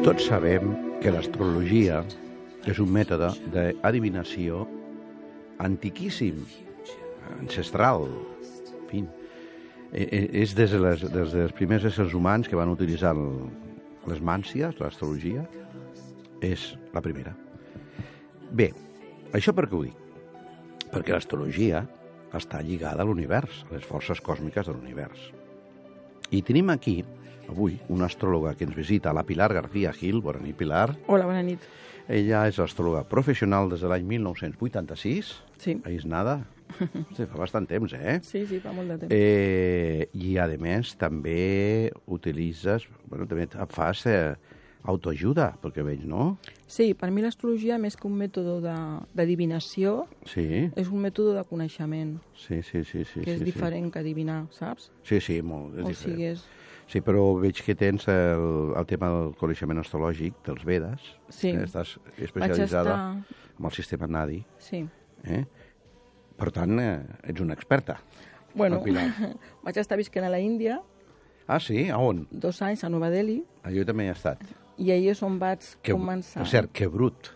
Tots sabem que l'astrologia és un mètode d'adivinació antiquíssim, ancestral, en fi. És des dels primers éssers humans que van utilitzar les màncies, l'astrologia, és la primera. Bé, això per què ho dic? Perquè l'astrologia està lligada a l'univers, a les forces còsmiques de l'univers. I tenim aquí, avui, una astròloga que ens visita, la Pilar García Gil. Bona nit, Pilar. Hola, bona nit. Ella és astròloga professional des de l'any 1986. Sí. Ahí és nada. Sí, fa bastant temps, eh? Sí, fa molt de temps. I, a més, també utilitzes... Bueno, també fas autoajuda, perquè veig, no? Sí, per mi l'astrologia, més que un mètode d'adivinació, Sí. és un mètode de coneixement, Sí. que és diferent que adivinar, saps? Sí, molt, és O diferent. sigui, és... Sí, però veig que tens el tema del coneixement astrològic, dels Vedes. Sí. Estàs especialitzada Vaig en el sistema Nadi. Sí. Per tant, ets una experta. Bueno, Pilar. vaig estar visquent a la Índia Ah, sí? A on? 2 anys, a Nova Delhi, Jo també he estat. i ahir és on vaig començar. Per cert, que brut.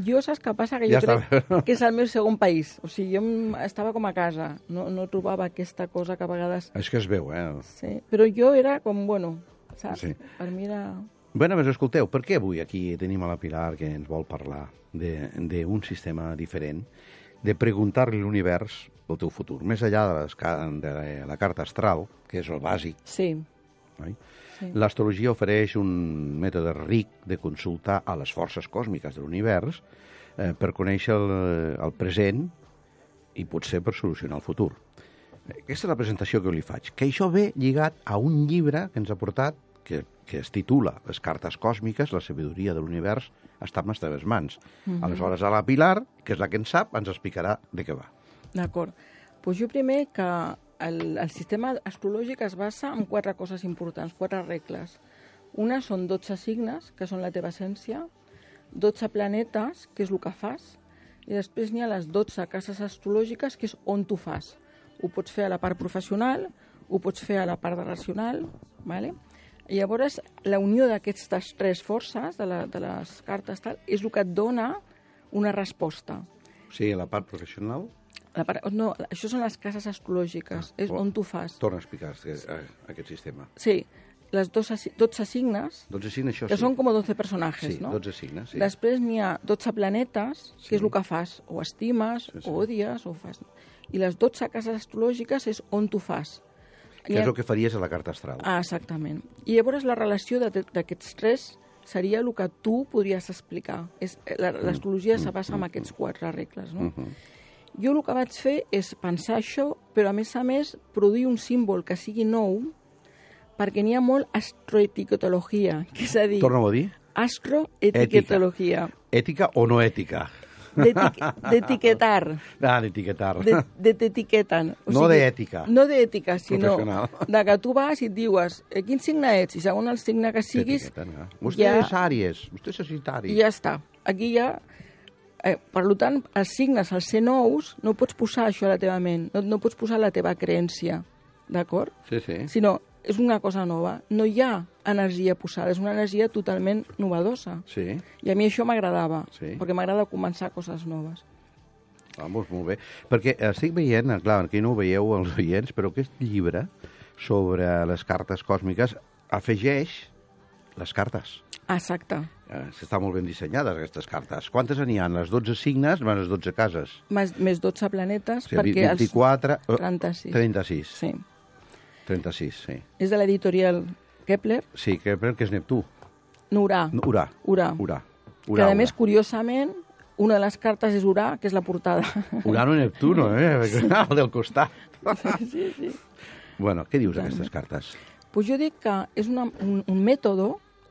Jo saps què passa? Que Ja jo crec està. que és el meu segon país. O sigui, jo estava com a casa. No trobava aquesta cosa que a vegades... És que es veu, eh? Sí, però jo era com, bueno, saps? Sí. Per mi era... Bé, doncs escolteu, per què avui aquí tenim a la Pilar que ens vol parlar d'un sistema diferent, de preguntar-li a l'univers el teu futur, més enllà de la carta astral, que és el bàsic. Sí. Oi? Sí. L'astrologia ofereix un mètode ric de consultar a les forces còsmiques de l'univers per conèixer el present i potser per solucionar el futur. Aquesta és la presentació que li faig, que això ve lligat a un llibre que ens ha portat, que es titula Les cartes còsmiques, la sabidoria de l'univers està en les teves mans. Aleshores, a la Pilar, que és la que en sap, ens explicarà de què va. D'acord. Doncs jo primer que el sistema astrològic es basa en 4 coses importants, 4 regles. Una són 12 signes, que són la teva essència, 12 planetes, que és el que fas, i després n'hi ha les 12 cases astrològiques, que és on tu fas. Ho pots fer a la part professional, ho pots fer a la part racional, ¿vale? I llavors la unió d'aquestes 3 forces de les cartes tal, és el que et dona una resposta. O sigui, la part professional... No, això són les cases astrològiques, és on tu fas. Torna a explicar aquest sistema. Sí, les 12 signes, 12 signes, això que sí. són com 12 personatges, Sí, no? 12 signes, sí. Després n'hi ha 12 planetes, Sí. que és el que fas, o estimes, Sí. o odies, o fas... I les 12 cases astrològiques és on tu fas. Que és el que faries a la carta astral. Ah, exactament. I llavors la relació d'aquests 3 seria el que tu podries explicar. L'astrologia se basa en aquests 4 regles, no? Jo el que vaig fer és pensar això, però a més produir un símbol que sigui nou, perquè n'hi ha molt astroetiquetologia, que és a dir... Torna-ho a dir. Astroetiquetologia. Ètica o no ètica? D'etiquetar. D'etiquetar. T'etiqueten. No d'ètica. No d'ètica, sinó Professional. de que tu vas i et dius quin signe ets, i segons el signe que siguis... Vostè ja- és Àries, vostè és Sagitari. I ja està. Aquí ja... per tant, els signes, al ser nous, no pots posar això a la teva ment, no pots posar la teva creència, d'acord? Sí, sí. Sinó, és una cosa nova. No hi ha energia posada, és una energia totalment novedosa. Sí, I a mi això m'agradava, Sí. perquè m'agrada començar coses noves. vamos, molt bé. Perquè estic veient, clar, aquí no ho veieu els oients, però aquest llibre sobre les cartes còsmiques afegeix les cartes. Exacte. Estan molt ben dissenyades, aquestes cartes. Quantes n'hi ha? Les 12 signes, les 12 cases. Més 12 planetes, O sigui, perquè 24... 36. 36. Sí. 36, sí. És de l'editorial Kepler, Sí, que és Neptú. Urà. Urà. Urà. Que, a més, curiosament, una de les cartes és Urà, que és la portada. Urano i Neptuno, el del costat. Sí. Bueno, què dius d'aquestes cartes? Pues jo dic que és un mètode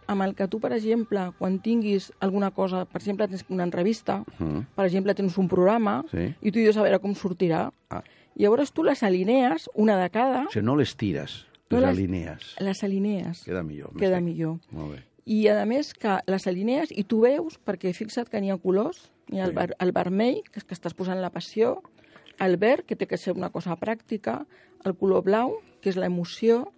amb el que tu, per exemple, quan tinguis alguna cosa, per exemple, tens una entrevista, per exemple, tens un programa, Sí. i tu dius a veure com sortirà. Ah. Llavors tu les alinees, una de cada, O sigui, no les tires, No les les- alinees. les alinees. Queda millor. Queda m'estic. millor. Molt bé. I, a més, que les alinees i tu veus, perquè fixa't que n'hi ha colors, n'hi ha el vermell, que és que estàs posant la passió, el verd, que té que ser una cosa pràctica, el color blau, que és l'emoció,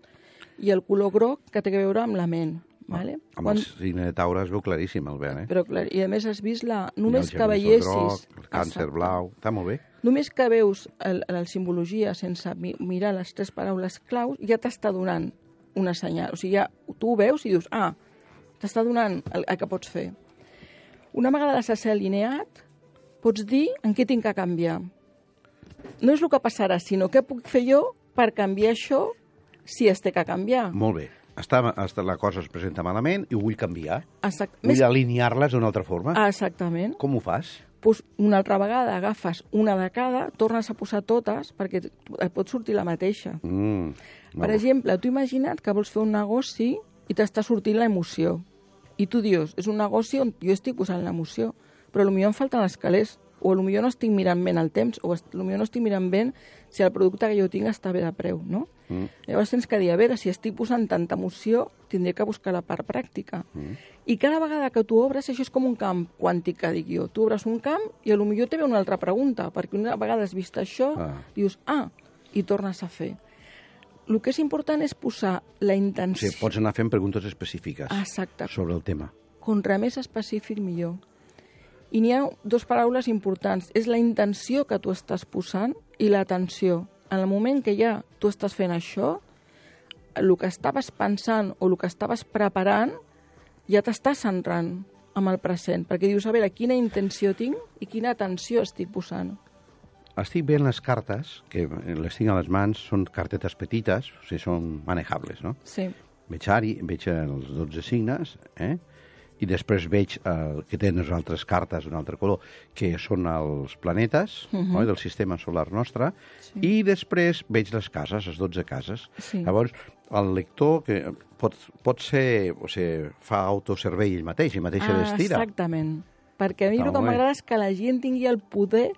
i el color groc, que té a veure amb la ment. Vale? Amb el signe de Taure es veu claríssim, Albert, Però, clar, i a més has vist només el que Gemini veiessis... groc, el Càncer Exacte. blau, està molt bé. Només que veus la simbologia sense mirar les 3 paraules claus, ja t'està donant una senyal. O sigui, ja tu ho veus i dius, t'està donant el que pots fer. Una vegada les has alineat, pots dir en què tinc que canviar. No és el que passarà, sinó què puc fer jo per canviar això si es té que canviar. Molt bé. La cosa es presenta malament i ho vull canviar. Exacte. Vull alinear-les d'una altra forma. Exactament. Com ho fas? Pues una altra vegada agafes una de cada, tornes a posar totes perquè et pot sortir la mateixa. Per exemple, tu imagina't que vols fer un negoci i t'està sortint l'emoció. I tu dius, és un negoci on jo estic posant l'emoció, però potser em falten els calés, o potser no estic mirant ben el temps, o potser no estic mirant ben si el producte que jo tinc està bé de preu, no? Llavors tens que dir, a veure, si estic posant tanta emoció, tindré que buscar la part pràctica. I cada vegada que tu obres, això és com un camp quàntic, que dic jo. Tu obres un camp i potser te ve una altra pregunta, perquè una vegada has vist això, dius, i tornes a fer. El que és important és posar la intenció... Sí, pots anar fent preguntes específiques sobre el tema. Contra més específic, millor. I n'hi ha 2 paraules importants. És la intenció que tu estàs posant i l'atenció. En el moment que ja tu estàs fent això, el que estaves pensant o el que estaves preparant ja t'estàs centrant amb el present, perquè dius, a veure, quina intenció tinc i quina atenció estic posant. Estic veient les cartes, que les tinc a les mans, són cartetes petites, o sigui, són manejables, no? Sí. Veig els 12 signes, i després veig que tenen les altres cartes d'un altre color, que són els planetes del sistema solar nostre, i després veig les cases, les 12 cases. Sí. Llavors, el lector que pot ser, o sigui, fa autoservei ell mateix l'estira. Exactament. Perquè a mi el que m'agrada és que la gent tingui el poder,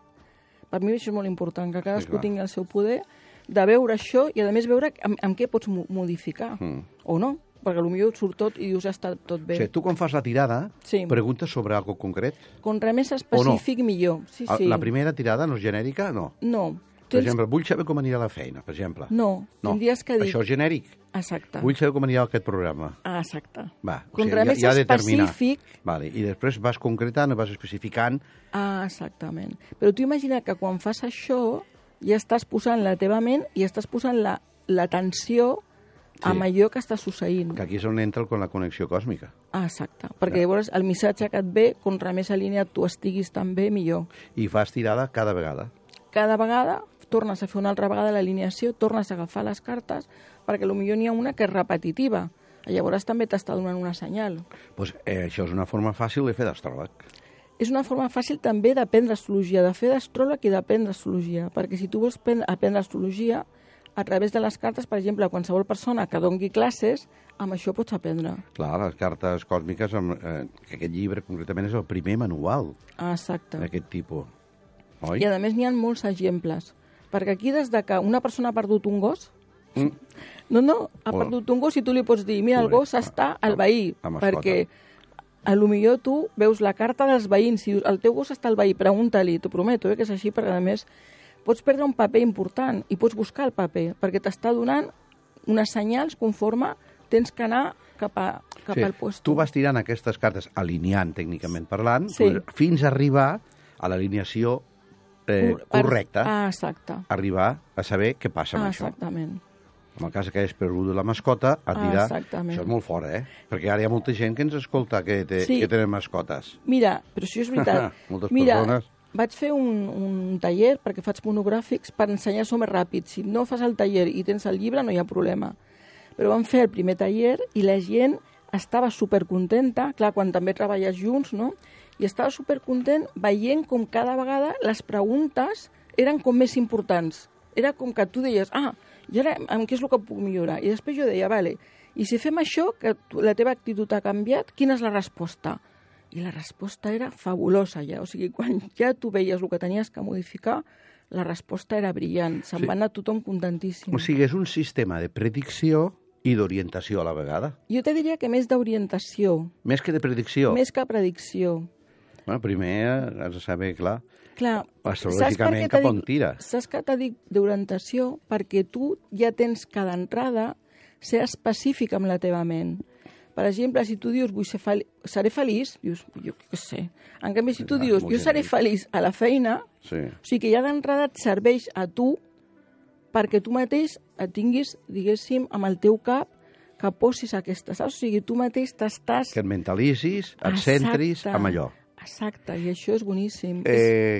per mi això és molt important, que cadascú tingui el seu poder, de veure això i, a més, veure amb què pots modificar, o no. Perquè potser et surt tot i dius, està tot bé. O sigui, tu quan fas la tirada, preguntes sobre alguna cosa concret? Contra més específic, millor. Sí. La primera tirada no és genèrica? No. No. Per exemple, vull saber com anirà la feina, per exemple. No, tindries que dir... Això és genèric. Exacte. Vull saber com anirà aquest programa. Exacte. Va, contra més específic... Vale. I després vas concretant, vas especificant... Exactament. Però tu imagina que quan fas això ja estàs posant la teva ment i estàs posant l'atenció amb allò que està succeint. Que aquí és on entra la connexió còsmica. Exacte. Perquè llavors el missatge que et ve, contra més alineat tu estiguis també, millor. I fas tirada cada vegada. Cada vegada tornes a fer una altra vegada l'alineació, tornes a agafar les cartes, perquè potser n'hi ha una que és repetitiva. Llavors també t'està donant una senyal. Pues, això és una forma fàcil de fer d'astròleg. És una forma fàcil també d'aprendre astrologia, de fer d'astròleg i d'aprendre astrologia, perquè si tu vols aprendre astrologia, a través de les cartes, per exemple, qualsevol persona que doni classes, amb això pots aprendre. Clar, les cartes còsmiques, que aquest llibre concretament és el primer manual d'aquest tipus. Oi? I a més n'hi ha molts exemples, perquè aquí des de que una persona ha perdut un gos, ha perdut un gos i tu li pots dir, mira, el gos està al veí, perquè potser tu veus la carta dels veïns, si el teu gos està al veí, pregunta-li, t'ho prometo, que és així, perquè a més pots perdre un paper important i pots buscar el paper, perquè t'està donant unes senyals conforme tens que anar cap al puesto. Tu vas tirant aquestes cartes, alineant tècnicament parlant, fins a arribar a l'alineació correcta. Exacte. Arribar a saber què passa amb això. Exactament. En el cas que hagis perdut la mascota, et dirà... Exactament. Això és molt fort, Perquè ara hi ha molta gent que ens escolta que tenen mascotes. Mira, però això és veritat. Moltes persones... Vaig fer un taller, perquè faig monogràfics, per ensenyar-s'ho més ràpid. Si no fas el taller i tens el llibre, no hi ha problema. Però vam fer el primer taller i la gent estava supercontenta, clar, quan també treballes junts, no? I estava supercontent veient com cada vegada les preguntes eren com més importants. Era com que tu deies, i ara amb què és el que puc millorar? I després jo deia, vale, i si fem això, que la teva actitud ha canviat, quina és la resposta? I la resposta era fabulosa ja, o sigui, quan ja tu veies el que tenies que modificar, la resposta era brillant, se'n va anar tothom contentíssim. O sigui, és un sistema de predicció i d'orientació a la vegada. Jo te diria que més d'orientació. Més que de predicció? Més que predicció. Bueno, primer has de saber, clar astrològicament cap on tira. Saps que t'ha dit d'orientació? Perquè tu ja tens que d'entrada ser específic amb la teva ment. Per exemple, si tu dius seré feliç, dius, jo què sé. En canvi, si tu dius jo seré feliç a la feina, o sigui que ja d'entrada et serveix a tu perquè tu mateix et tinguis, diguéssim, amb el teu cap que posis aquesta, saps? O sigui, tu mateix t'estàs... Que et mentalitzis, et centris amb allò. Exacte, i això és boníssim.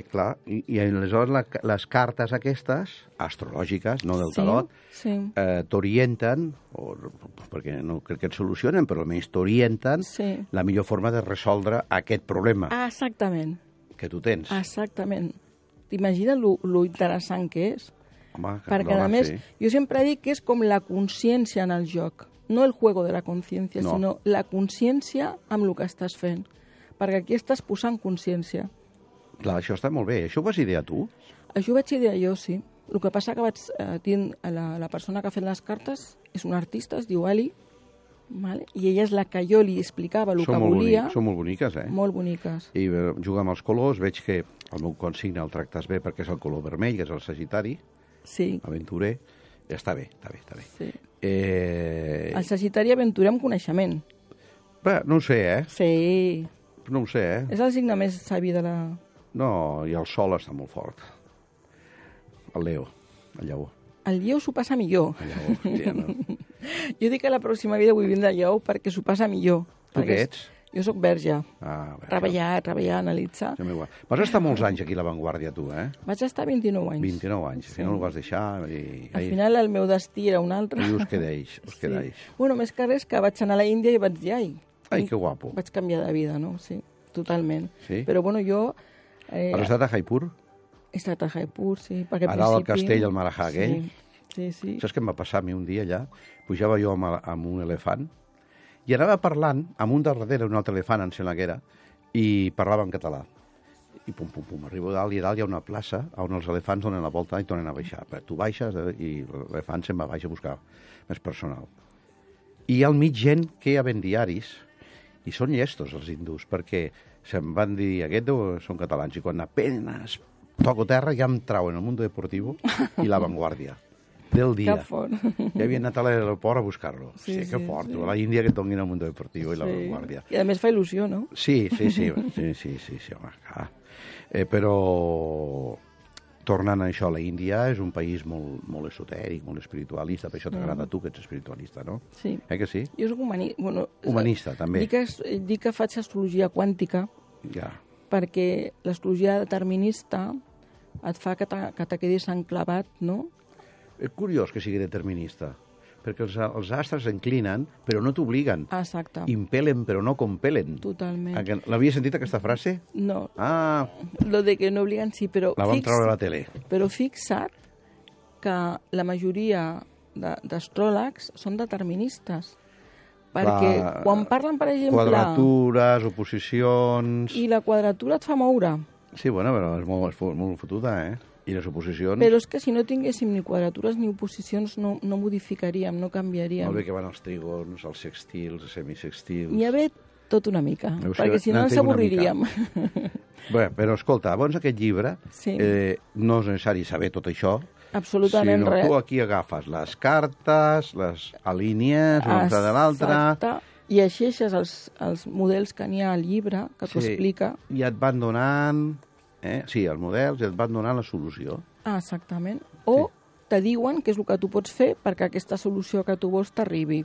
Clar, i aleshores les cartes aquestes, astrològiques, no del tarot, t'orienten, perquè no crec que et solucionen, però almenys t'orienten la millor forma de resoldre aquest problema. Exactament. Que tu tens. Exactament. T'imagines lo interessant que és? Home, perquè, a més, jo sempre dic que és com la consciència en el joc. No el juego de la consciència, sinó la consciència amb el que estàs fent. Perquè aquí estàs posant consciència. Clar, això està molt bé. Això ho vas idear tu? Això ho vaig idear jo, sí. El que passa que vaig tenir la persona que ha fet les cartes és una artista, es diu Ali, vale? I ella és la que jo li explicava el que volia. Són molt boniques, eh? Molt boniques. I juga amb els colors, veig que el meu consigne el tractes bé perquè és el color vermell, que és el Sagitari, aventurer. Està bé, està bé, està bé. Sí. El Sagitari aventurer amb coneixement. Bé, no ho sé, eh? Sí. No ho sé, eh? És el signe més savi de la... No, i el sol està molt fort. El Leo, el lleó. El lleó s'ho passa millor. El lleó, ja no. Jo dic que la pròxima vida vull vindre al lleó perquè s'ho passa millor. Tu què ets? Jo sóc verge. Verge. Treballar, analitzar. Vas estar molts anys aquí a l'avantguàrdia, tu, eh? Vaig estar 29 anys. 29 anys. Al final ho vas deixar Al final el meu destí era un altre. I us quedeix, Bueno, més que res que vaig anar a la Índia i vaig dir, ai, que guapo. Vaig canviar de vida, no? Sí, totalment. Sí? Però, bueno, jo... Has estat a Jaipur? He estat a Jaipur, sí. Perquè a dalt al castell, al Maharajà aquell? Sí. Saps què em va passar a mi un dia allà? Pujava jo amb un elefant i anava parlant amb un darrere, un altre elefant, em sembla que era, i parlava en català. I pum, pum, pum, arribo dalt i dalt hi ha una plaça on els elefants donen la volta i tornen a baixar. Tu baixes i l'elefant se'n va baix a buscar més personal. I al mig gent que hi ha diaris, i són llestos els hindús, perquè se'm van dir, aquests són catalans, i quan apenas toco terra ja em trauen el Mundo Deportivo i La Vanguardia del dia. Que fort. Ja havia anat a l'aeroport a buscar-lo. Sí, que fort. A la Índia que et donin el Mundo Deportivo i La Vanguardia. I a més fa il·lusió, no? Sí, home, clar. Però tornant a això, la Índia és un país molt esotèric, molt espiritualista, per això t'agrada a tu, que ets espiritualista, no? Sí. Que sí? Jo soc humanista, també. Dic que faig astrologia quàntica perquè l'astrologia determinista et fa que te quedis enclavat, no? És curiós que sigui determinista, perquè els astres inclinen, però no t'obliguen. Exacte. Impelen, però no compelen. Totalment. L'havies sentit, aquesta frase? No. Ah. Lo de que no obliguen, sí, però... La vam treure a la tele. Però fixa't que la majoria d'astròlegs són deterministes. Perquè quan parlen, per exemple... Quadratures, oposicions... I la quadratura et fa moure. Sí, bueno, però és molt fotuda, eh? I les oposicions... Però és que si no tinguéssim ni quadratures ni oposicions no modificaríem, no canviaríem. Molt bé que van els trígons, els sextils, els semisextils... N'hi ha bé tot una mica, perquè si no ens avorriríem. Bé, però escolta, abans aquest llibre no és necessari saber tot això, absolutament res. Sinó tu aquí agafes les cartes, les alínies, una de l'altra... Exacte. I llegeixes els models que n'hi ha al llibre, que t'ho explica. I et van donant... Sí, els models, i et van donant la solució. Ah, exactament. O te diuen què és el que tu pots fer perquè aquesta solució que tu vols t'arribi.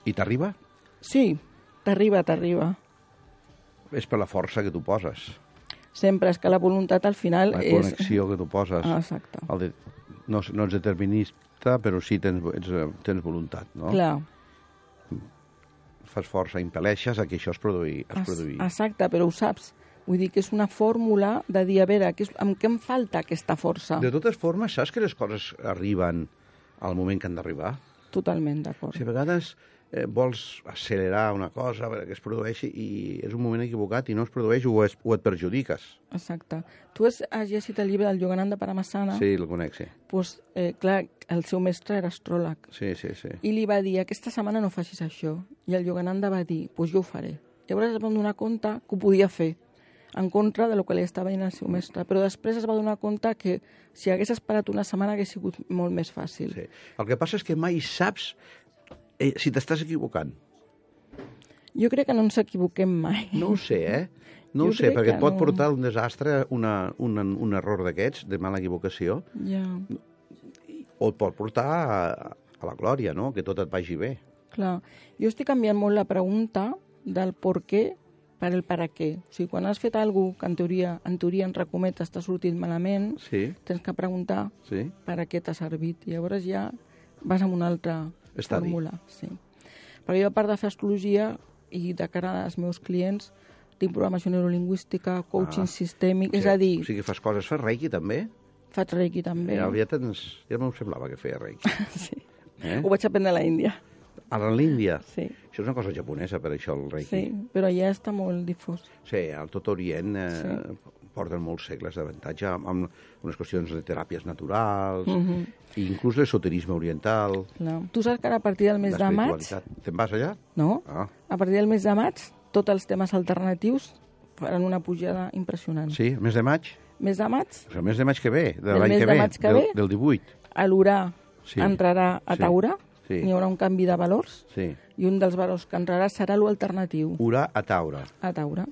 I t'arriba? Sí, t'arriba. És per la força que tu poses. Sempre, és que la voluntat al final és... La connexió que tu poses. Ah, exacte. No ets determinista, però sí tens voluntat, no? Clar. Fas força, impel·leixes a que això es produï. Exacte, però ho saps. Vull dir que és una fórmula de dir, a veure, amb què em falta aquesta força? De totes formes, saps que les coses arriben al moment que han d'arribar? Totalment d'acord. Si a vegades vols accelerar una cosa perquè es produeixi i és un moment equivocat i no es produeix o et perjudiques. Exacte. Tu has llegit el llibre del Yogananda Paramasana? Sí, el conec, sí. Doncs, clar, el seu mestre era astròleg. Sí. I li va dir, aquesta setmana no facis això. I el Yogananda va dir, doncs jo ho faré. Llavors es va donar compte que ho podia fer, en contra de lo que li estava dient el seu mestre. Però després es va donar compte que si hagués esperat una setmana hagués sigut molt més fàcil. Sí. El que passa és que mai saps Si t'estàs equivocant. Jo crec que no ens equivoquem mai. No ho sé, No ho Jo sé, crec perquè que et pot no. portar un desastre, un error d'aquests, de mala equivocació, Ja, o et pot portar a la glòria, no? Que tot et vagi bé. clar. Jo estic canviant molt la pregunta del per què per el per a què. O sigui, quan has fet alguna cosa que en teoria en recomet està sortint malament, Sí, tens que preguntar sí. per a què t'ha servit. I llavors ja vas amb una altra Estadi. fórmula. Sí. Perquè jo, a part de fer astrologia i de cara als meus clients, tinc programació neurolingüística, coaching sistèmic, és a dir, O sigui, fas coses, fas reiki també? faig reiki també. Ja m'ho semblava que feia reiki. Sí. Eh? Ho vaig aprendre a la Índia. A l'Índia? Sí. Això és una cosa japonesa, per això, el reiki. Sí, però allà està molt difós. Sí, al tot Orient porten molts segles d'avantatge amb unes qüestions de teràpies naturals, i inclús l'esoterisme oriental, Clar. Tu saps que ara a partir del mes de maig, l'espiritualitat. Te'n vas allà? no? Ah, A partir del mes de maig, tots els temes alternatius faran una pujada impressionant. sí, el mes de maig? Mes de maig, El mes de maig que ve, de Del l'any mes que de ve, maig que ve? del 18. l'Urà Sí. entrarà a Sí. Taure, Sí. hi haurà un canvi de valors, Sí. i un dels valors que entrarà serà l'alternatiu Urà a Taure. a Taure.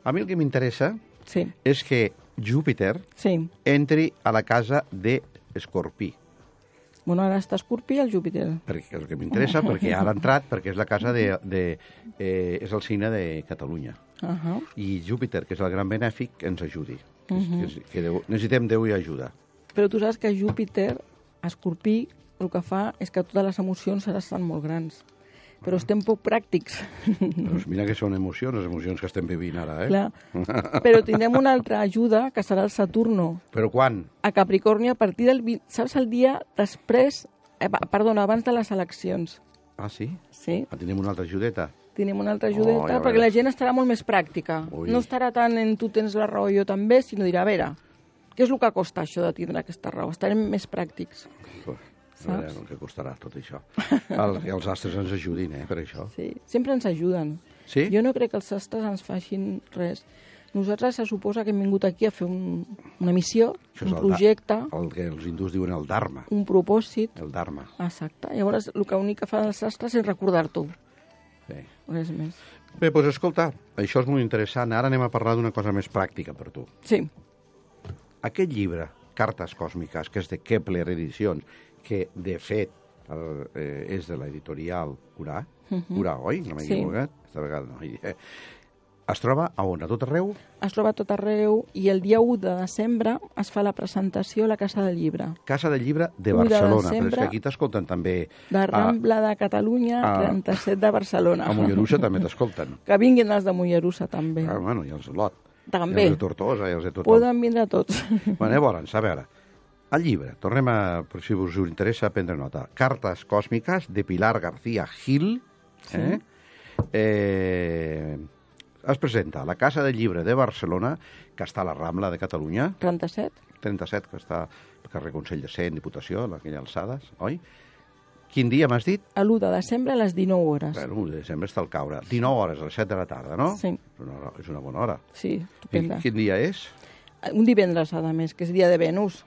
A mi el que m'interessa Sí, és que Júpiter sí. entri a la casa d'Escorpí. Bueno, ara està Escorpí el Júpiter. Perquè és el que m'interessa, perquè ara ha entrat, perquè és la casa és el signe de Catalunya. I Júpiter, que és el gran benèfic, ens ajudi. Que necessitem Déu i ajuda. Però tu saps que Júpiter, Escorpí, el que fa és que totes les emocions ara estan molt grans. Però estem poc pràctics. Doncs mira que són emocions, les emocions que estem vivint ara, Clar. Però tindrem una altra ajuda, que serà el Saturno, Però quan? a Capricorni a partir del... Saps el dia després... Perdona, abans de les eleccions. Ah, sí? Sí, Tenim una altra ajudeta. tenim una altra ajudeta, ja perquè veuràs. la gent estarà molt més pràctica. Ui. No estarà tant en tu tens la raó, jo també, sinó dirà, a veure, què és el que costa això de tindre aquesta raó? Estarem més pràctics. A veure el que costarà tot això. Que els astres ens ajudin, per això. Sí, sempre ens ajuden. Sí? Jo no crec que els astres ens facin res. Nosaltres se suposa que hem vingut aquí a fer una missió, Això és un projecte, El que els hindús diuen el Dharma. un propòsit. El Dharma. Exacte. Llavors, el únic que fan els astres és recordar-t'ho. Sí. Res més. Bé, doncs escolta, això és molt interessant. Ara anem a parlar d'una cosa més pràctica per tu. Sí, Aquest llibre, Cartes Còsmiques, que és de Kepler Edicions, que, de fet, és de l'editorial Urà, Urà, oi? No m'he Sí. equivocat? Esta vegada no. Es troba a on? A tot arreu? es troba a tot arreu i el dia 1 de desembre es fa la presentació a la Casa del Llibre. Casa del Llibre de 1 de Barcelona. Però és desembre. que aquí t'escolten també. De Rambla de Catalunya, 37 de Barcelona. A Mollerussa també t'escolten. Que vinguin els de Mollerussa, també. Ah, bueno, i els de Lot. També. I els de Tortosa, i els de tothom. Poden vindre tots. Bueno, llavors, a veure, el llibre, tornem a, per si us interessa prendre nota, Cartes Còsmiques, de Pilar García Gil, es presenta a la Casa del Llibre de Barcelona, que està a la Rambla de Catalunya, 37? 37, que està al carrer Consell de Cent, Diputació, en aquelles alçades, oi? Quin dia m'has dit? L'1 de desembre a les 19 hores. Bueno, l'1 de desembre està al caure. 19 hores, a les 7 de la tarda, no? Sí. És una bona hora. Sí, I estupenda. quin dia és? Un divendres, a més, que és dia de Venus.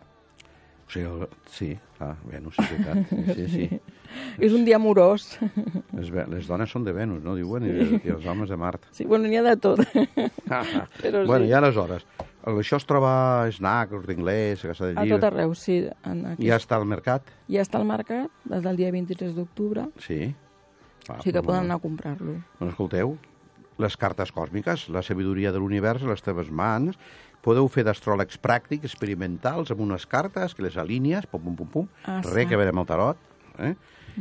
O sigui, sí, clar, Venus, és veritat. Sí. És un dia amorós. Les dones són de Venus, no diuen? I els homes de Mart. Sí, bueno, n'hi ha de tot. Però Bueno, sí. i aleshores, això es troba a Snac, Corte Inglés, a Casa del A Llibre. tot arreu, sí. Ja està al mercat? Ja està al mercat des del dia 23 d'octubre. Sí. O sigui que poden anar a comprar-lo. Doncs escolteu, les cartes còsmiques, la sabidoria de l'univers a les teves mans, podeu fer d'astròlegs pràctics, experimentals, amb unes cartes que les alinees, pum, pum, pum, pum, res que veure amb el tarot,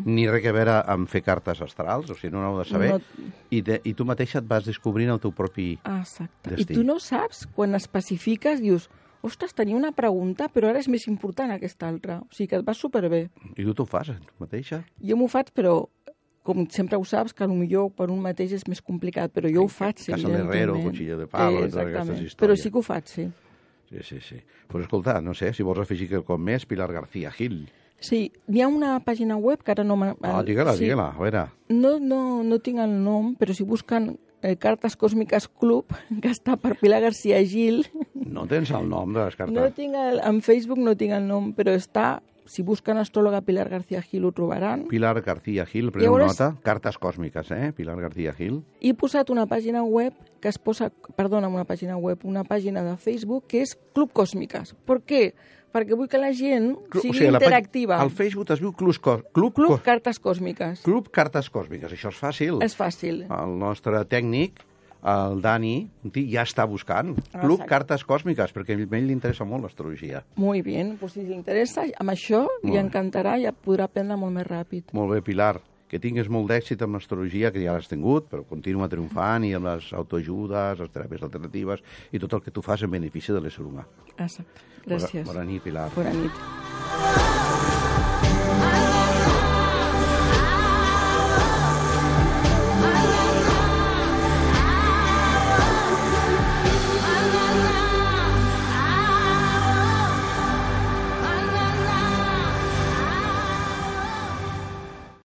ni res que veure amb fer cartes astrals, o sigui, no ho heu de saber, i tu mateixa et vas descobrint el teu propi Exacte. destí. I tu no saps, quan especifiques, dius, ostres, tenia una pregunta, però ara és més important aquesta altra. O sigui que et va superbé. I tu t'ho fas, tu mateixa? Jo m'ho faig, però com sempre ho saps, que potser per un mateix és més complicat, però jo ho faig, sí, Casa de Herrero, Cuchillo de Palo, i totes aquestes històries. Però sí que ho faig, sí. Sí. Però escolta, no sé, si vols afegir quelcom més, Pilar García Gil. Sí, hi ha una pàgina web que ara no... Digue-la, a veure. No tinc el nom, però si busquen Cartes Còsmiques Club, que està per Pilar García Gil... No tens el nom de les cartes? En Facebook no tinc el nom, però està si busquen astròloga Pilar García Gil ho trobaran. Pilar García Gil, preneu nota, cartes còsmiques, Pilar García Gil. He posat una pàgina web que es posa, una pàgina de Facebook que és Club Còsmiques. Per què? Perquè vull que la gent sigui interactiva. Al Facebook es diu Club Cartes Còsmiques. Club Cartes Còsmiques, això és fàcil. És fàcil. El nostre tècnic, el Dani, ja està buscant Club Cartes Còsmiques, perquè a ell li interessa molt l'astrologia. Molt bé, pues si li interessa, amb això li encantarà i podrà aprendre molt més ràpid. Molt bé, Pilar, que tingues molt d'èxit amb l'astrologia, que ja l'has tingut, però continua triomfant i amb les autoajudes, les teràpies alternatives i tot el que tu fas en benefici de l'ésser humà. Exacte. Gràcies. Bona nit, Pilar. Bona nit.